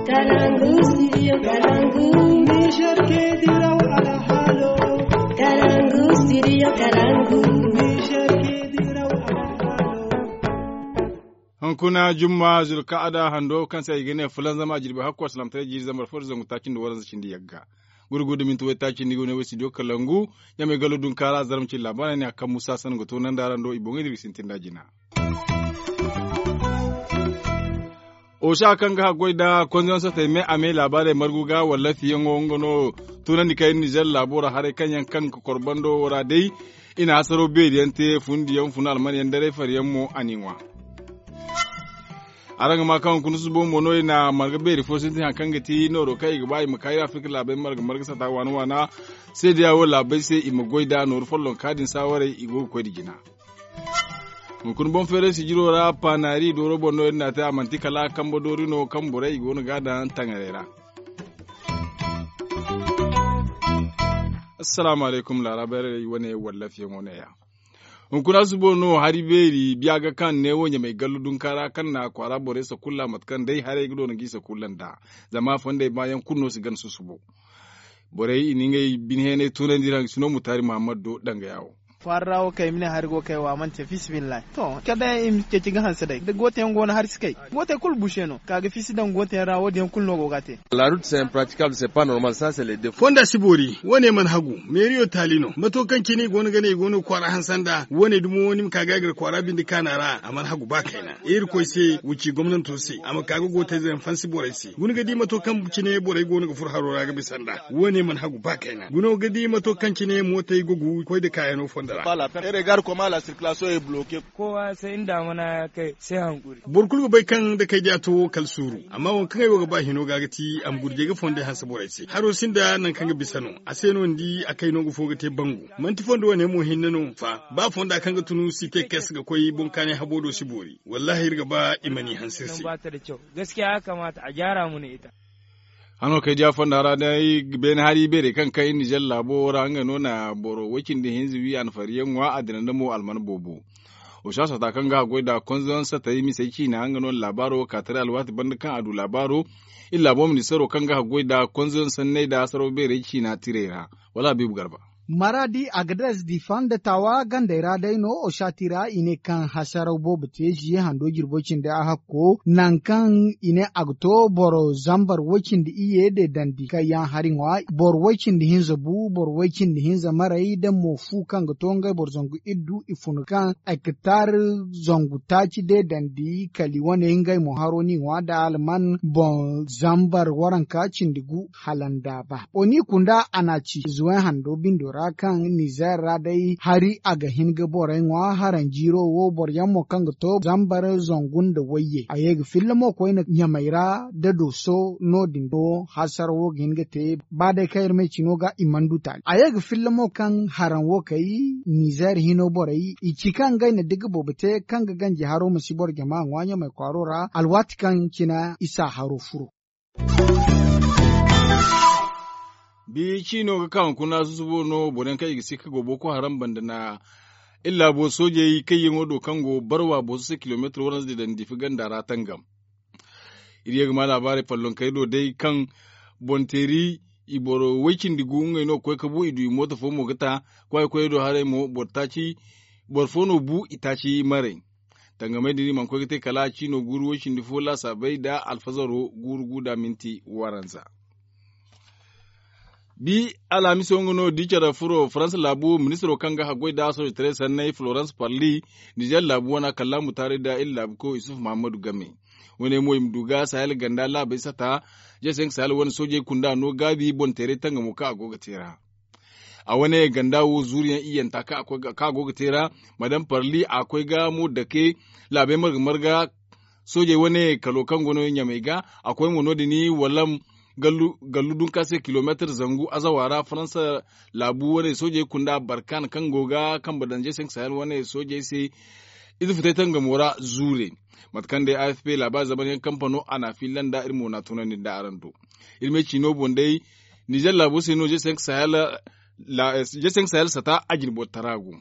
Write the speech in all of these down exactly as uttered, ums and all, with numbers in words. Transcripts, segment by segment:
Kalangu, studio Kalangu. Niger ke diraw alhalo. Kalangu, studio Kalangu. Niger ke diraw alhalo. Hunkuna jumma, zulka'ada hando kaŋ se i ga ne fulan zama a jirbi hakko salaamtaray jiiri zambar fo da zangu taaci nda waranza cindi yagga. Gurgu da minti waytaaci nda i go ne way studio Kalangu. Ɲamay gallo dunkaara zarma cindi laabaarey ne a kaŋ musa sanni ga to nanda ra ndo i boŋey da iri ga sintin da jina. Osa kaŋ ga haggoy da konzoyaŋ sotey me a me laabaarey margu ga wallafiyaŋo nga no. Tunandi kay nizer laabo ra haray kaŋ yaŋ kaŋ ga kor bando wo ra day. I na hasaro beeri yaŋ te fundiyaŋ funa alman yaŋ daray fari yaŋ mo a n'i ŋwa. Araŋ ga ma kaŋ hunkuna susubo mo no i na marga beeri fo sintin hari kaŋ ga ti nooro kaŋ i ga ba i ma kaayi afirka laabey marga marga sata waana waana. Seedeya wo laabey se i ma goy nd'a nooru follonka din saawarey i go ga koy nda jina. Hunkuna boŋ feeray sijiro ra paanaari dooro boŋ no iri n'a te a manti kala kambe doori no kaŋ borey i go no ga a daŋ taŋarey ra. Assalaamu alaykum laarabeerey wane wallafiyaŋo ne- ya. Hunkuna susubo no hari beeri biya ga kaŋ ne wo ɲamay gallu dunka ra kaŋ na kwaara borey sakulla mate kaŋ day haray ga doona g'i sakulla nd'a. Zama fondey baayaŋ kulu no si gana susubo. Borey i na ngey bine heenay tunandi ra nga si no mutaari muhammad do danga ya wo. Kwaara ra wo kay ma ne hari go kay wo a mana te fiisabilillahi to kala day i ma ceeci ga hanse day da goote yaŋ go no hari si kay. Gootey kulu buse no ka ga fiisi daŋ gootey yaŋ ra wo- din yaŋ kulu no go ga a te. Fonda si boori. Wo- ne mana hagu meeriyo taali no mato kaŋ cine i go no ga ne i go no ga kwaara hanse nd'a wo- ne dumo ni ma ka ga a gar kwaara binde kaana ra a mana hagu ba kayna. Irkoy se wa ci gomnanto se a ma ka ga gootayze yaŋ fansi borey se guna ga di mato kaŋ cine borey go no ga furo haro ra ga bisa nd'a. Wo- ne mana hagu ba kayna guna ga di mato kaŋ cine mootey ga gu koy nda kaayano fonda ra. Kowa se ni daamana ya kay se hankuri. Boro kulu ga bay kaŋ da kay diya to wo kala suuru. Amma waŋ kaŋ ay wo ga ba hino ga ga ti a ma gurjey ga fondey hanse borey se haro sinda nangu kaŋ ga bisa no. A se no ni di a kay no nga fo ga te bangu. Manti fondo wane mo hinne no fa ba fonda kaŋ ga tunu si te kes ga koy boŋ kaanay habo do si boori. Wallahi iri ga ba i ma ni hanse iri se. Gaskiya ya kamata a jaara mana ita. Hano kay diya fonda ra day beene hari beerey kaŋ kay nizer laabo ra nga no na boro way-cindi hinza wi a na fariyaŋ ŋwa a dina nda mo alman boobo. Osa sata kaŋ ga a goy nd'a konzoyaŋ satey misey ciina nga no na laabaaro wo ka taray alwaati banda kaŋ a du laabaaro. Iri laabo ministaro kaŋ ga a goy nd'a konzoyaŋ sanney nda hasaraw beerey ciina tirey ra. Wala habiibu garba. Maraadi agadez difa nda taawa gandey ra day no osa tira i ne kaŋ hasaraw boobo te ziye hando jirbo cindi a hakko nangu kaŋ i ne a ga to boro zambar way-cindi iyye de dandi kaŋ yaŋ hari ŋwa boro way-cindi hinza bu boro way-cindi hinza maray da mo fu kaŋ ga to ngey boro zangu iddu i fun kaŋ ektar zangu taaci de dandi kali wane ngey mo haro n'i ŋwa nda alman boŋ zambar waranka cindi gu hala nda ba oni kunda a na ci zuway hando bindo ra kaŋ nizer ra day hari a ga hin ga borey ŋwa haranjiiro wo boroyaŋ mo kaŋ ga to zambar zangu nda wayye a ye ga filla mo koyne ɲamey ra da dooso no- din do hasara wo ga hin ga te ba day kaŋ iri ma ay cino ga i mana du taali a ye ga filla mo kaŋ haraŋ wo kay nizer hino borey i ci kaŋ ngey na digi boobo te kaŋ ga ganji haro ma si boro jama ŋwa ɲamey kwaaro ra alwaati kaŋ cina isa haro furo. Bi ciino ga ka hunkuna susubo no boro yaŋ kaŋ i ga sikka go boko haram banda na iri laabo soojey kayyaŋo do kaŋ go barwa booso se kilomeetar waranza din daŋ diifi ganda ra tangam. Iri ye ga ma laabaarey follonkey do day kaŋ boŋ teeri i boro way-cindi gu ngey no ga koy ga bu i du i mooto fo mo ga ta. Kwaayakoyey do haray mo boro taaci boro fo no bu i taaci maray. Tangamey din i mana koy ga te kala ciino guuru way-cindi fo laasaabey nda alfazaro guuru gu nda minti waranza. Bi alhamiso nga no da i care furo faransa laabu ministiro kaŋ ga haggoy nda sooje taray sanney florence parli nizer laabu wana kallaamu taaray nda iri laabu koyo isufu mahammadu game. Wane mo i ma du ga sahel ganda laabey sata. Jesenk sahel wane soojey kunda no gaabi boŋ teeray tangamo kaŋ a go ga te ra. A wane ganda wo zuuriyaŋ iyyanta kaŋ a go ga te ra. Madame parli a koy ga mo dake laabey marga marga. Soojey wane kalo kaŋ go no ɲamey ga a koy mo no din wala gallu dunka se kilomeetar zangu azawa ra faransa laabu wane soojey kunda barkan kaŋ go ga kambe daŋ jesenk sahel wane soojey se. Ize futay tangamo ra zuure. Mate kaŋ day afp laabaari zamanyaŋ kampano a n'a fiilla nda iri mo n'a tunandi nda araŋ do. Iri me ciino boŋ day nizer laabo se no jesenk sahel sata a jine boro tara go.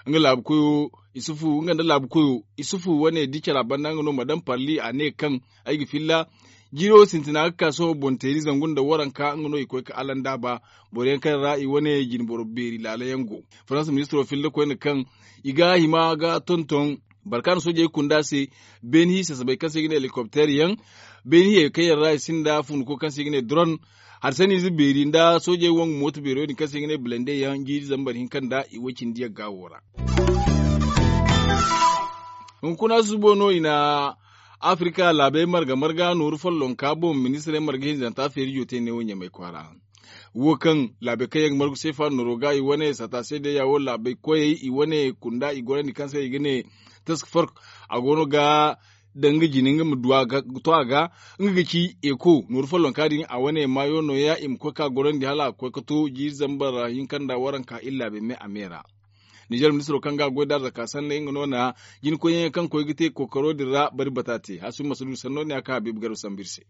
Nga laabu koyo isufu nga nda laabu koyo isufu wane da i care a banda nga no madame parli a ne kaŋ ay ga filla. Jiiro sintina ga ka sohõ boŋ teeri zangu nda waranka nga no i koy ga alanda ba. Boro yaŋ kaŋ ra i wane jine boro beeri laala yaŋ go. Faransa ministiro filla koyne kaŋ i ga hima ga tonton barkaana soojey kunda se. Beeni hiisa sabay kaŋ se i ga ne helikopter yaŋ. Beeni hiyey kaŋ yaŋ ra i sinda funduko kaŋ se i ga ne doron. Hari sanniize beeri nda soojey wangu mooto beero din kaŋ se i ga ne blende yaŋ jiiri zambar hinka nda i way cindi yagga wo ra. Hunkuna susubo no i na afirika laabey marga marga nooru follonka boŋ ministirey marga hinzanta feerijo te neewo ɲamay kwaara. Wo kaŋ laabey kaŋ yaŋ ga margu seefa nooro ga i wane sata seedeya wo laabey koyey i wane kunda i gorandi kaŋ se i ga ne task fork a go no ga daŋ nga jine nga ma du a ga to a ga. Nga ga ci eko nooru follonka din a wane maayo nooya i ma koy ka gorandi hala a ga koy ga to jiiri zambar hinka nda waranka iri laabey me a me ra. Ninzeer ministiro kaŋ ga a goy da arzaka sanney nga no na jinkoyyaŋ kaŋ koy ga te kookaro din ra bari bata te hasuba ma si du sanno ne a kaŋ habiibu garba sambu iri se.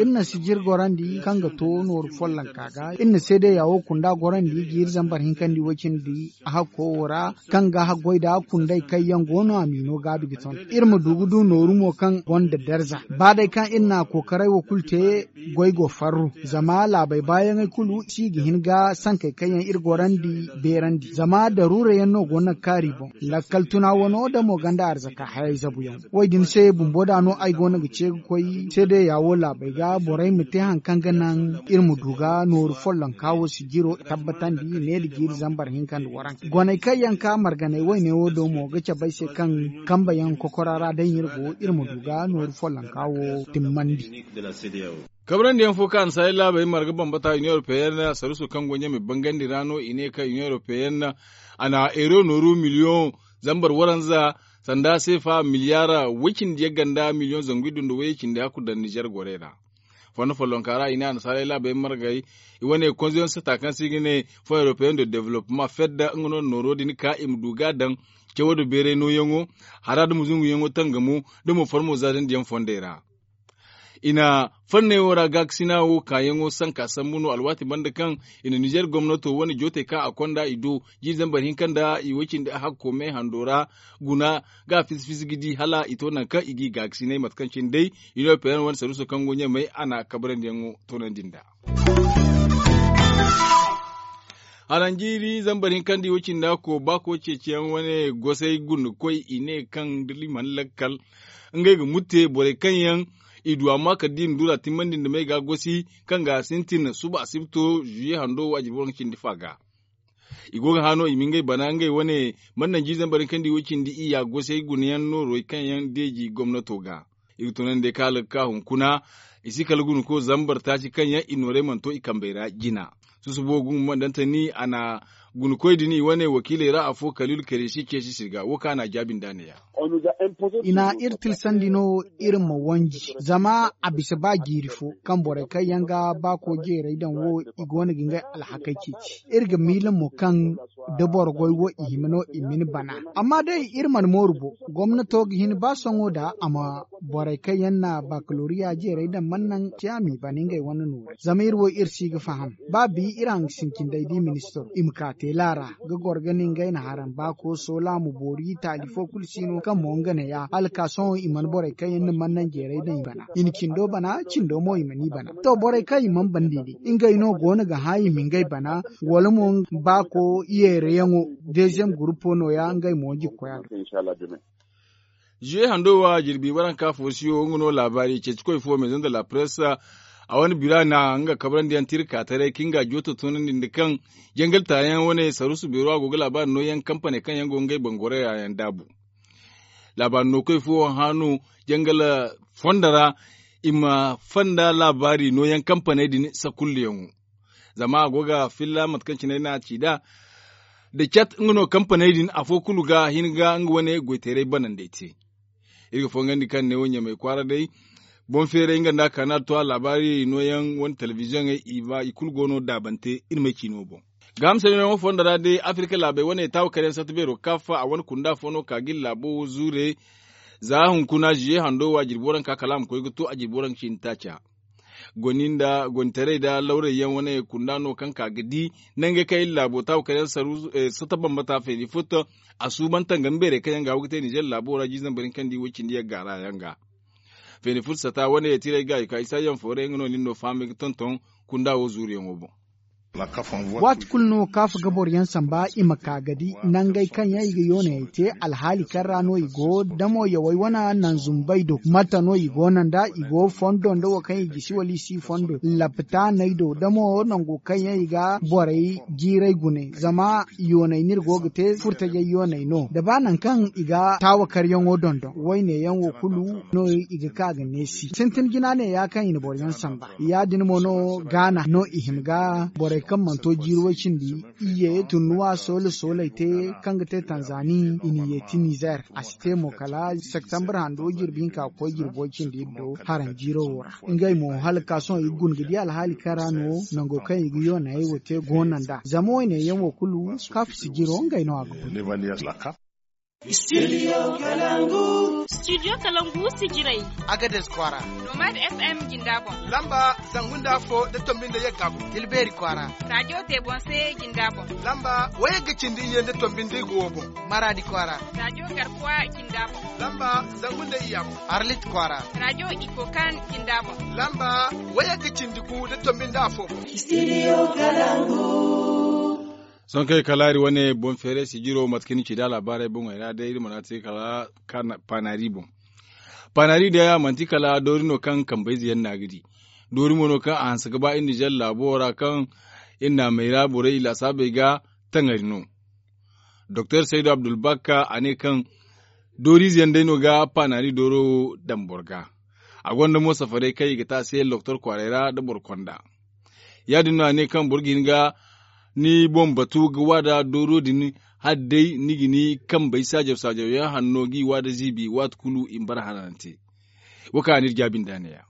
Iri na sijir gorandi kaŋ ga to nooru follonka ga iri na seedeya wo kunda gorandi jiiri zambar hinka nda i way cindi a hakko wo ra kaŋ ga haggoy nda kundey kaŋ yaŋ go no a m'i no gaabi ga ton iri ma du ga du nooru mo kaŋ gonda darza ba day kaŋ iri na a kookaray wo kulu te. Goy go farru zama laabey baayaŋey kulu si ga hin ga sankey kaŋ yaŋ iri gorandi beerandi zama daruura yaŋ no go no ga kaari boŋ. Lakkal tuna wano da mo ganda arzaka hayey zabu yaŋ wo din se bumbo da no ay go no ga ce ga koy seedeya wo laabey ga borey ma te hari kaŋ ga naŋ iri ma du ga nooru follonka wo sijiro tabbatandi ne da jiiri zambar hinka nda waranka goney kaŋ yaŋ ka marganey wayne wo do mo ga cabe ay se kaŋ kambe yaŋ kokora ra day iri go iri ma du ga nooru follonka wo timmandi. Kabrandi yaŋ fo kaŋ a na saaray laabey marga bambata union europeyenne saruuso kaŋ go ɲamay bangandi ra no i ne kaŋ union europeyenne a na euro nooru miliyoŋ zambar waranza sanda seefa miliyaara way cindi yagga nda miliyoŋ zangu iddu nda way cindi hakku daŋ nizer gorey ra. Fondo follonka ra i ne a na saaray laabey margay i wane konzoyaŋ sata kaŋ se i ga ne fo europeyaŋ de developpement fedda nga no na nooro din ka i ma du ga a daŋ cawo nda beeray nooyaŋo hara nda muzunguyaŋo tangamo nda mo farmo zaadandi yaŋ fondey ra. I na fanney wo ra gaakasina wo kaayaŋo sanka sambu no alwaati banda kaŋ i na nizer gomnato wane jootey kaŋ a konda i do jiiri zambar hinka nda i way cindi a hakko me hando ra guna ga a fisi fisi ga di hala i to nangu kaŋ i g'i gaakasinay mate kaŋ cine day. Inopeyaŋ wane saruuso kaŋ go ɲamay a na kabarandiyaŋo toonandi nd'a. Haranjiiri zambar hinka nda i way cindi a ko baako ceeciyaŋ wane gosay guna koy i ne kaŋ da liman lakkal ngey ga mutte borey kaŋ yaŋ i du amma kala da i na dura timmandi nda may ga gosi kaŋ ga sintin suba asibto zuye hando waajibi waranka cindi fa ga. I go ga hã no i ma ngey bana ngey wane mana naŋ jiizey boro kaŋ di wo cindi iyya gosey gunayaŋ noorey kaŋ yaŋ deeji gomnato ga. Iri tunandi day kaŋ a laga ka hunkuna i si kala guna ko zambar taaci kaŋ yaŋ i noorey mana to i kambey ra jina. Susubo gumo mana daŋ tani a na guna koy din i wane wakiiley ra afo kaliilu kareesi ceesi sirga wo kaŋ a na a jaabi nd'a ne- ya. I na iri tilasandi no iri ma wanji zama a bisa ba jiiri fo kaŋ borey kaŋ yaŋ ga ba ko jeerey daŋ wo i go no ga ngey alhakey ceeci. Iri ga miila mo kaŋ da boro goy wo i hima no i ma ni bana. Amma day iri mana mooru bo gomnato ga hin ba sohõ da a ma borey kaŋ yaŋ na bakaloriya jeerey daŋ mana naŋ te a m'i bana ngey wane nooru zama iri wo iri si ga faham. Ba bi iri hangasin cindey di ministiro i ma ka teela ra ga goro ga ne ngey na haran ba ko soola ma boori taali fo kulu si no kaŋ mo nga ne ya hala ka sohõ i mana borey kaŋ yaŋ na mana naŋ jeerey daŋ i bana i na cindo bana cindo mo i mana i bana. To borey kaŋ i mana bandi day ngey no go no ga hã i ma ngey bana wala mo ba ko yeerayaŋo deeziyem gurupo no- ya ngey mo jikkoya do. Zuwe hando wo a jirbi waranka foosiyo nga no laabaari ceecikoy fo maison de la presse a wane bira na nga kabarandiyaŋ tira ka taray kaŋ nga jooto toonandi nda kaŋ jangal taayaŋ wane saruusu beero a go ga laabaari nooyaŋ kampaney kaŋ yaŋ go ngey bangorey ra yaŋ daabu. Laabaari nookoy fo hã no jangal fondo ra i ma fonda laabaari nooyaŋ kampaney din sakulluyaŋo. Zama a go ga filla mate kaŋ cine ay ne a ci nd'a da cat nga no kampaney din afo kulu ga hin ga nga wane goyteeray banandey te. Iri ga fongandi kaŋ neewo ɲamay kwaara day boŋ feeray nga nda a kaana to a laabaari nooyaŋ wane telebiziyoŋey i kulu go no daabante iri m'ay ciino boŋ. Gaaham sanniyaŋo fondo ra day afirika laabey wane taawa kar yaŋ satta beero ga kaafa a wane kunda fo no ka ga iri laabo wo zuure. Za hunkuna zuye hando wo a jirbi waranka kala a ma koy ga to a jirbi waranka ciini taaca. Goni nda gonitaray nda lawray yaŋ wane kunda no kaŋ ka ga di nangey kaŋ iri laabo taawa kar yaŋ satta bambata feeri futta. A suuban tangami beerey kaŋ yaŋ ga wo ga te nizer laabo ra jiizey boro yaŋ kaŋ di wo cindi yagga ra yaŋ ga. Feeni fursata wane tiray ga i ka isa yaŋ foore nga no nin no fahamay ga tonton kunda wo zuuriyaŋo boŋ. Waati kulu no kaaf ga boro yaŋ samba i ma ka ga di nangey kaŋ yaŋ i ga yoonayey te alhaali kaŋ ra no i go da mo yawey wane nanzumbey do mate no i go no nd'a i go fondo nda wo kaŋ i gisi wala i si fondo laptaaney do da mo nango kaŋ yaŋ i ga borey jiiray gune zama yooney no iri go ga te furtajey yooney no da ba nangu kaŋ i ga taawakaryaŋo dondon wayne yaŋ wo kulu no i ga ka ga neesi sintin jina ne ya kaŋ i na boro yaŋ samba ya- din mo no gaana no i hima ga borey kaŋ mana to jiiri way cindi iyye tunnuwa soole sooley te kaŋ ga te tanzani i na yeeti nizer a si te mo kala septembre hando jirbi hinka ga koy jirbi way cindi iri do haranjiiro wo ra ngey mo hala ga ka sohõ i ga guna ga di alhaali kaŋ ra no nango kaŋ i ga yoonayey wo te goono nd'a zama wayne yaŋ wo kulu kaaf sijiro ngey no a ga guna. Studio kalangu sijirey agades kwaara nomad fm jinda boŋ lamba zangu nda afo da tombi nda yagga boŋ tilbeeri kwaara radio tebonse jinda boŋ lamba wayagga cindi iyye nda tombi nda igowo boŋ maraadi kwaara radio garkuwa jinda boŋ lamba zangu nda iyya boŋ arlit kwaara radio ikokan jinda boŋ lamba wayagga cindi gu da tombi nda afo boŋ. Sohõ kaŋ ay kala iri wane boŋ feeray sijiro mate kaŋ ni ci da alaabaarey boŋey ra day iri mana te kala panari boŋ. Panari day a manti kala doori no kaŋ kambayze yaŋ no a ga di. Doori mo no kaŋ a hanse ga ba iri nizer laabo ra kaŋ iri naamey ra borey i laasaabey ga taŋari no. Doktor saydu abdulbakka a ne kaŋ dooriize yaŋ day no ga panari dooro daŋ boro ga. A gonda mo safarey kaŋ i ga te a se loktor kwaaray ra nda boro konda. Ya- din no a ne kaŋ boro ga hin ga ni boŋ batu ga waada dooro din hala day ni ga ni kambey saajaw saajaw yaŋ hanno g'i waada ziibi waati kulu i ma bara hanante. Wo kaŋ a n'iri jaabi nd'a ne- ya.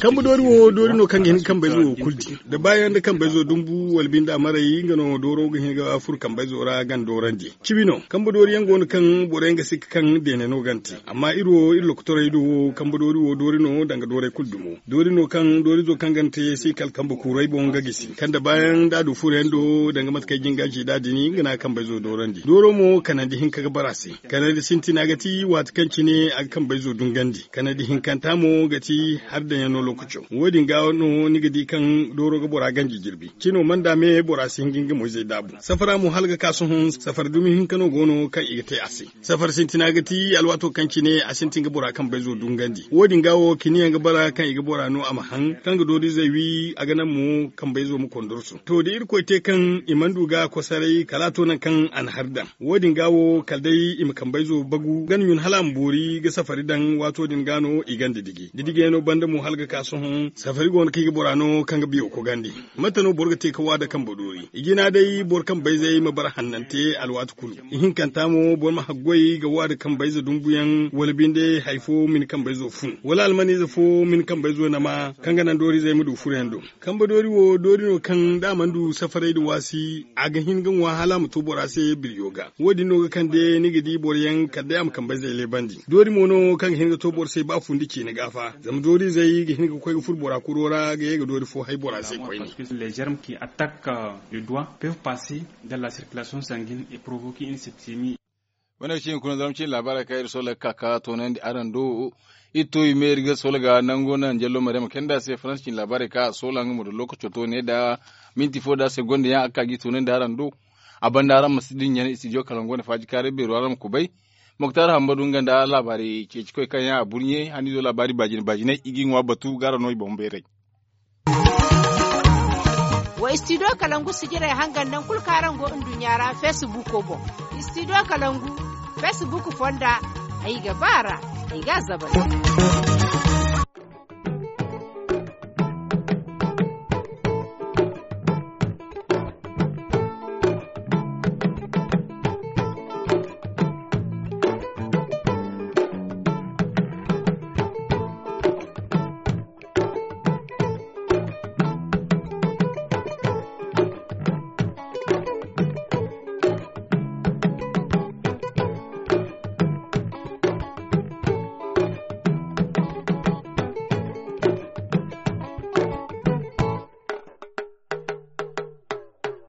Kambe doori wo doori no kaŋ ga hin ga kambayzo wo kulu di da baayaŋ nda kambayzo dumbu wala binde a maray nga no dooro ga hin ga furo kambayzo ra gana doorandi. Cibi no kambe doori yaŋ go no kaŋ boro yaŋ ga sikka kaŋ deene no gana te. Amma iri wo iri lokotorey do wo kambe doori wo doori no danga doorey kulu dumo doori no kaŋ doorizo kaŋ gana te si kala kambe kuuray boŋ ga gisi kaŋ da baayaŋ da a du furo yaŋ do danga mate kaŋ ay jin ga a ci nd'a din nga no a kambayzo doorandi dooro mo kanandi hinka ga bara se. Kanandi sintina ga ti waati kaŋ cine a ga kambayzo dungandi kanandi hinkanta mo ga ti hari daŋ yaŋ no lookaco wo- din ga no ni ga di kaŋ dooro ga bora ganji jirbi cino mana da me bora si hin ga nga moyzey daabu safara mo hala ga ka sohõ safari dumi hinka no go no kaŋ i ga te a se. Safari sintina ga ti alwaato kaŋ cine a sintin ga bora kambayzo dungandi wo- din ga wo kiniyaŋ ga bara kaŋ i ga bora no a ma haŋ kaŋ ga dooriizey wi a ga naŋ mo kambayzo ma kondorso to da irkoy te kaŋ i mana du ga kosaray kala a to nangu kaŋ a na hari daŋ wo- din ga wo kala day i ma kambayzo bagu gana ɲun hala a ma boori ga safari daŋ waato din ga no i ganda diji didigeyaŋo banda mo hala ga ka sohõ safari go no kaŋ i ga bora no kaŋ ga biyo kogandi. Mate no boro ga te ga waada kambe doori i jina day boro kambayzey ma bara hannante alwaati kulu. Ihinkanta mo boro ma haggoy ga waada kambayze dumbuyaŋ wala binde hari fo ma ni kambayzo fun wala almaniize fo ma ni kambayzo nama kaŋ ga naŋ dooriizey ma du furoyaŋ do. Kambe doori wo doori no kaŋ da a mana du safaray nda waasi a ga hin ga ŋwa hala a ma to bora se birjo ga wo- din no ga kande ni ga di boro yaŋ kala day a ma kambayzey leebandi doori mo no kaŋ ga hin ga to boro se ba fundi ciine gaafa zama dooriizey ga hin ga koy ga furo bora kuro ra ga ye ga doori fo hay bora se koyne. Wane ga ci hunkuna zama cine laabaarey kaŋ iri soola ga ka ka toonandi araŋ do. Iri to i me iri ga soola ga nango naŋ jallo mariyama kayna da se faransa cine laabaarey kaŋ a soola nga mo da lookaco to ne da minti fo da segonda yaŋ a ga ka ga i toonandi araŋ do. A banda araŋ ma si dinya ne istidiyo kalangu wane faaji kaaray beero araŋ ma kubay. Moktar hambadu nga nda laabaari ceecikoy kaŋ yaŋ a burɲe haniizo laabaari baajine baajiney i g'i ŋwa batu ga araŋ no i boŋ bayray. Wa istidiyo kalangu sijirey hangan nangu kulu kaŋ araŋ go nduɲɲa ra feesibuuko boŋ. Istidiyo kalangu feesibuuk fonda ay ga ba a ra ay ga a zabari.